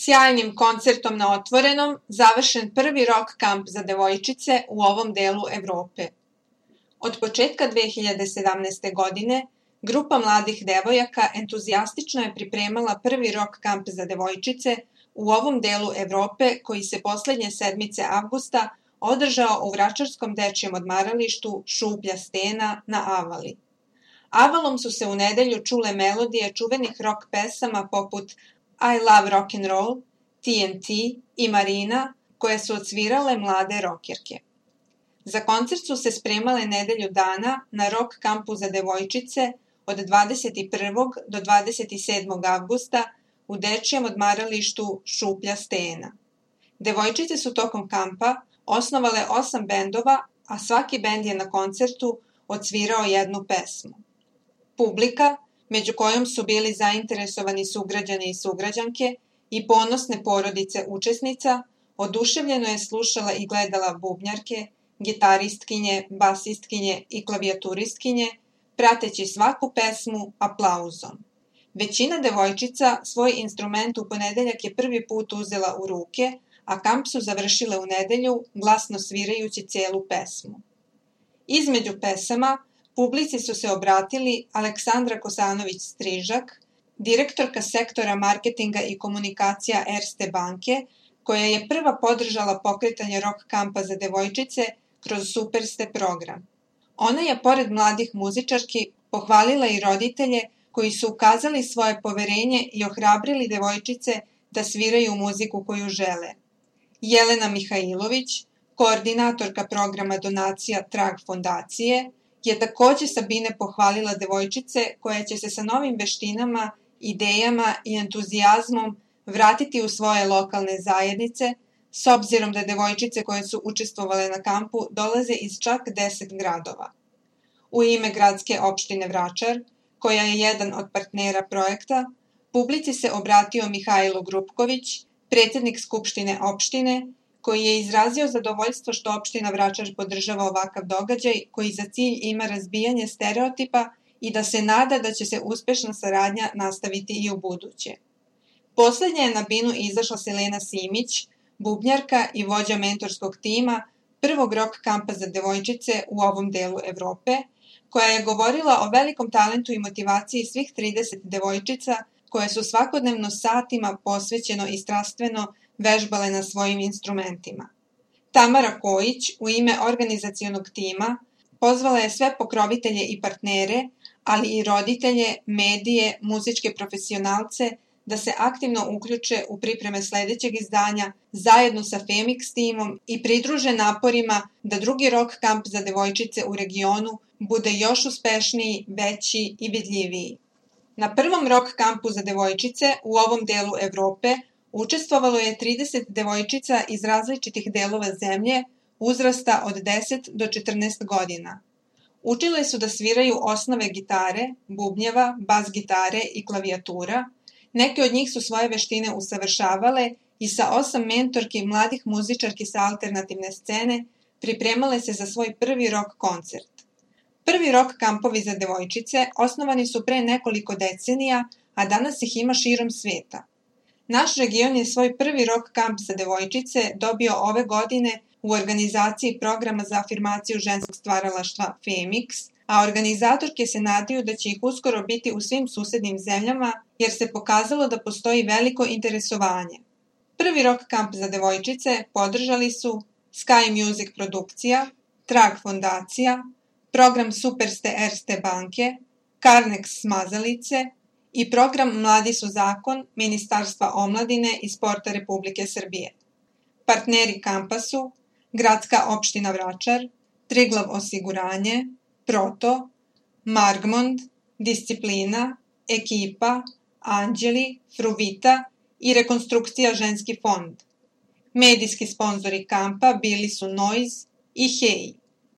Sjajnim koncertom na otvorenom završen prvi rock kamp za devojčice u ovom delu Evrope. Od početka 2017. godine grupa mladih devojaka entuzijastično je pripremala prvi rock kamp za devojčice u ovom delu Evrope koji se poslednje sedmice avgusta održao u Vračarskom dečjem odmaralištu Šuplja stena na Avali. Avalom su se u nedelju čule melodije čuvenih rock pesama poput I Love Rock'n'Roll, TNT i Marina, koje su odsvirale mlade rokerke. Za koncert su se spremale nedelju dana na rock kampu za devojčice od 21. do 27. avgusta u dečjem odmaralištu Šuplja stena. Devojčice su tokom kampa osnovale 8 bendova, a svaki bend je na koncertu odsvirao jednu pesmu. Publika, među kojom su bili zainteresovani sugrađani i sugrađanke i ponosne porodice učesnica, oduševljeno je slušala i gledala bubnjarke, gitaristkinje, basistkinje i klavijaturistkinje, prateći svaku pesmu aplauzom. Većina devojčica svoj instrument u ponedeljak je prvi put uzela u ruke, a kamp su završile u nedelju, glasno svirajući celu pesmu. Između pesama publici su se obratili Aleksandra Kosanović-Strižak, direktorka sektora marketinga i komunikacija Erste banke, koja je prva podržala pokretanje rock kampa za devojčice kroz Superste program. Ona je, pored mladih muzičarki, pohvalila i roditelje koji su ukazali svoje poverenje i ohrabrili devojčice da sviraju muziku koju žele. Jelena Mihajlović, koordinatorka programa donacija Trag fondacije, je takođe Sabine pohvalila devojčice koje će se sa novim veštinama, idejama i entuzijazmom vratiti u svoje lokalne zajednice, s obzirom da devojčice koje su učestvovale na kampu dolaze iz čak 10 gradova. U ime gradske opštine Vračar, koja je jedan od partnera projekta, publici se obratio Mihajlo Grupković, predsjednik Skupštine opštine, koji je izrazio zadovoljstvo što opština Vračar podržava ovakav događaj koji za cilj ima razbijanje stereotipa i da se nada da će se uspešna saradnja nastaviti i u buduće. Poslednja je na binu izašla Selena Simić, bubnjarka i vođa mentorskog tima prvog rock kampa za devojčice u ovom delu Evrope, koja je govorila o velikom talentu i motivaciji svih 30 devojčica koje su svakodnevno satima posvećeno i strastveno vežbale na svojim instrumentima. Tamara Kojić u ime organizacionog tima pozvala je sve pokrovitelje i partnere, ali i roditelje, medije, muzičke profesionalce da se aktivno uključe u pripreme sledećeg izdanja zajedno sa Femix timom i pridruže naporima da drugi rock kamp za devojčice u regionu bude još uspešniji, veći i vidljiviji. Na prvom rock kampu za devojčice u ovom delu Evrope učestvovalo je 30 devojčica iz različitih delova zemlje uzrasta od 10 do 14 godina. Učile su da sviraju osnove gitare, bubnjeva, bas gitare i klavijatura. Neke od njih su svoje veštine usavršavale i sa 8 mentorki mladih muzičarki sa alternativne scene pripremale se za svoj prvi rock koncert. Prvi rock kampovi za devojčice osnovani su pre nekoliko decenija, a danas ih ima širom sveta. Naš region je svoj prvi rock kamp za devojčice dobio ove godine u organizaciji programa za afirmaciju ženskog stvaralaštva Femix, a organizatorke se nadaju da će ih uskoro biti u svim susednim zemljama jer se pokazalo da postoji veliko interesovanje. Prvi rock kamp za devojčice podržali su Sky Music produkcija, Trag fondacija, program Superste Erste banke, Carnex Smazalice i program Mladi su zakon Ministarstva omladine i sporta Republike Srbije. Partneri kampa su Gradska opština Vračar, Triglav osiguranje, Proto, Margmond, Disciplina, Ekipa, Anđeli, Fruvita i Rekonstrukcija ženski fond. Medijski sponzori kampa bili su Noise i Hej.